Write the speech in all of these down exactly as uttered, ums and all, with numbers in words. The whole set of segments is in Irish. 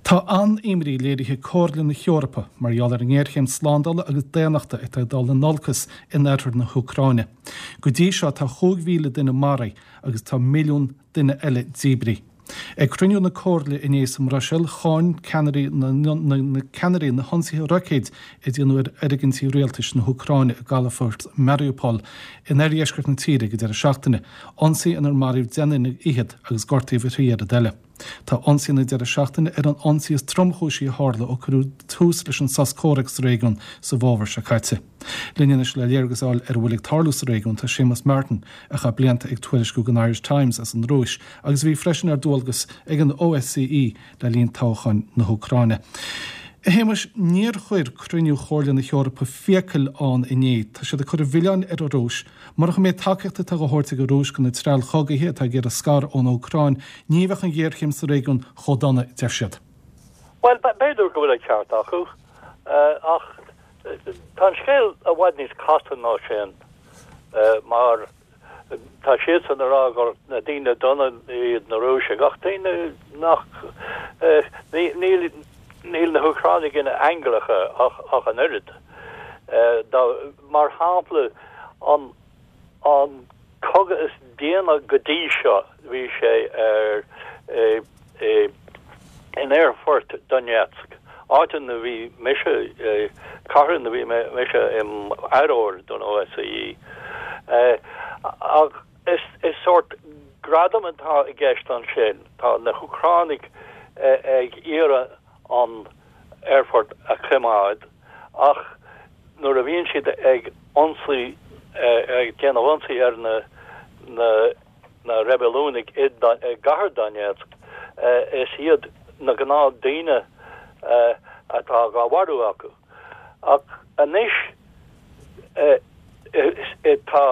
Tá an-imní léirithe ag Comhairle na hEorpa mar gheall ar an ngéarchéim slándála agus daonnachta atá ag dul in olcas in oirthear na hÚcráine. Go dtí seo tá chúig mhíle duine maraithe agus tá milliún duine eile díbrithe. Ag cruinniú na Comhairle inné sa mBruiséil cháin ceannairí na, na, na ceannairí na hionsaithe roicéid a déanadh ar fhoirgintí rialtais na hÚcráine i gcalafort Mariupol in oirdheisceart na tíre ag an deireadh seachtaine, ionsaí inar maraíodh deich nduine fhichead agus gortaíodh a thrí oiread eile. Tá ionsaí na deireadh seachtaine ar an ionsaí is tromchúisí a tharla ó cuireadh tús leis an sos comhraic sa réigiún sa bhfómhar seo caite. Linn anois le léargas a fháil ar a bhfuil ag tarlú sa réigiún tá Séamus Martin a chaith blianta ag tuairisciú don Irish Times as an Rúis agus bhí freisin ar dualgas ag an OSCE le linn toghcháin na hÚcráine. A Shéamais níor chuir cruinniú Chomhairle na hEorpa fiacail ann inné, Tá siad ag cur an mhilleáin ar an Rúis, Murach an méid tacaíochta atá á thabhairt ag an Rúis do na treallchogaithe atá ag iarraidh scaradh ón Úcráin, ní bheadh an ghéarchéim sa réigiún chomh dona deir siad. Well b'fhéidir go bhfuil an ceart acu ach tá an scéal i bhfad níos casta ná sin mar tá siadsan ag rá gur na daoine dona iad na Rúisigh ach daoine nach níl níl na hÚcránaigh ina n-aingleacha ach ach an oiread. Mar shampla an an cogadh is déine go dtí seo bhí sé ar in aerfort Donetsk. Áit ina bhí mise cathair ina bhí mise im fhaireoir don OSCE. Ach is is sórt gradam atá i gceist ansin tá na hÚcránaigh ag iarraidh an aerfort a choimeád ach nuair a bhíonn siad ag ionsaí ag déanamh ionsaí ar na na na reibiliúnaigh i gcathair Donetsk is iad na gnáthdhaoine atá á mharú acu. Ach anois tá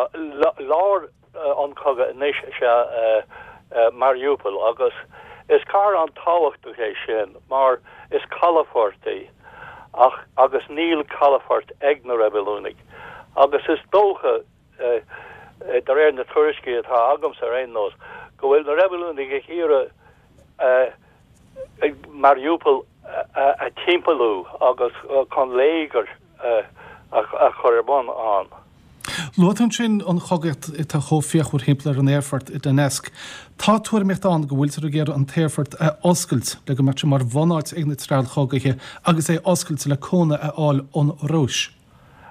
lár an chogaidh anois is ea Mariupol agus is cathair an-tábhachtach é sin mar is calafort í ach agus níl calafort ag na reibiliúnaigh agus is dócha de réir na tuairiscí atá agamsa ar aon nós go bhfuil na reibiliúnaigh ag iarraidh Mariupol a timpeallú agus chun léigear a chur ar bun ann. Luaigh tú ansin an chogaíocht atá chomh fíochmhar thimpeall ar an aerfort i Donetsk. Tá tuairimíocht ann go bhfuiltear ag iarraidh an t-aerfort a oscailt le go mbeadh sé mar bhunáit ag na treallchogaithe agus é oscailte le cúnamh a fháil ón Rúis.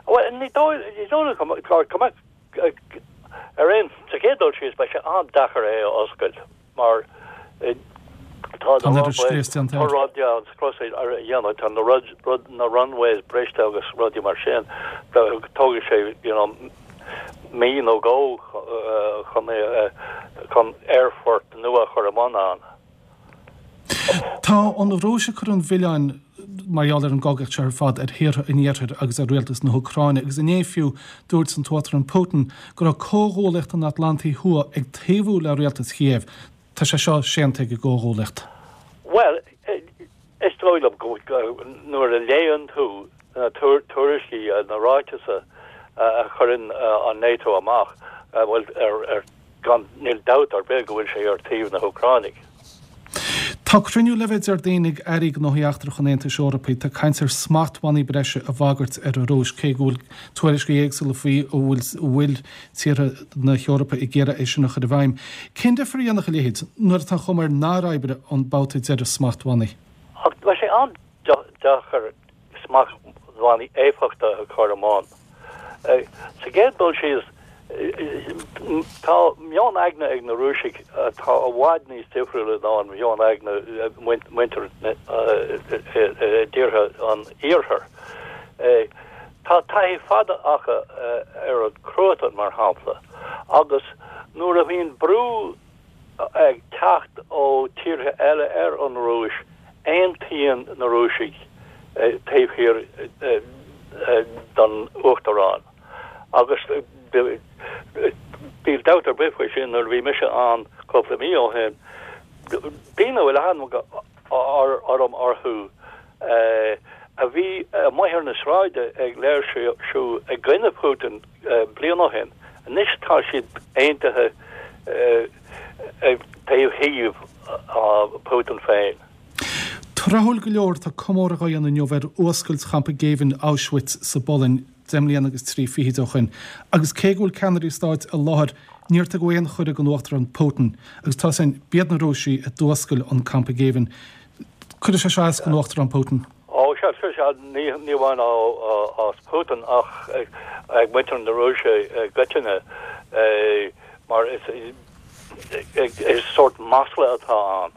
Bhuel, ní dóigh liom go mbeadh ar aon sa chéad dul síos beidh sé an-deacair é a oscailt mar tá na rudaí an dhéanamh tá na rud rud na runways briste agus rudaí mar sin tógfaidh sé you know mí nó dhó chun chun aerfort nua a chur i mbun ann. Tá an Rúis ag cur an mhilleáin mar gheall ar an gcogaíocht seo ar fad ar thíortha an Iarthair agus ar rialtas na hÚcráine agus inné fiú dúirt an tUachtarán Putin go raibh Comhghuaillíocht an Atlantaigh Thuaidh ag taobhú le rialtas Chíév. Tá sé seo séanta ag an gComhghuaillíocht. Bhuel, is dóigh liom go nuair a léann tú na tuairiscí, na ráitis a chuireann an NATO amach, bhuel, ar gan, níl dabht ar bith go bhfuil sé ar taobh na hÚcránaigh. Tá cruinniú le bheith Déardaoin ag Airí Gnóthaí Eachtracha an Aontais Eorpaigh. Tá caint ar smachtbhannaí breise a bhagairt ar an Rúis, cé go bhfuil tuairiscí éagsúla faoi an bhfuil tíortha na hEorpa ag iarraidh é sin a chur i bhfeidhm. Cén difear a dhéanfadh a leithéid nuair atá an chuma air nár oibrigh an babhta deiridh smachtbhannaí? Ach tá sé an-deacair smachtbhannaí éifeachtacha a chur i mbun. Sa gcéad dul síos, tá meon aigne ag na Rúisigh atá i bhfad níos difriúla ná an meon aigne muintir i dtíortha an Iarthair. Tá taithí fada acu ar an chruatan, mar shampla, agus nuair a bhíonn brú ag teacht ó tíortha eile ar an Rúis, aontaíonn na Rúisigh taobh thiar den Uachtarán. Agus níl dabht ar bith faoi sin, nuair a bhí mise ann cúpla mí ó shin, daoine a bhfuil aithne orm orthu a bhí amuigh ar na sráide ag léirsiú i gcoinne Putin bliain ó shin, anois tá siad aontaithe taobh thiar Putin féin. Tráthúil go leor tá comóradh á dhéanamh inniu ar fhuascailt champa géibhinn Auschwitz sa bPolainn deich mbliana agus trí fichid ó shin. Agus cé go bhfuil ceannairí stáit i láthair, níor tugadh aon chuireadh don Uachtarán Putin. Agus tá sin b'iad na Rúisigh a d'fhuascail an campa géibhinn. Cuirfidh sé seo as don Uachtarán Putin. Ó sea, sea, ní ní amháin as Putin ach ag muintir na Rúise i gcoitinne mar is is sórt masla atá ann.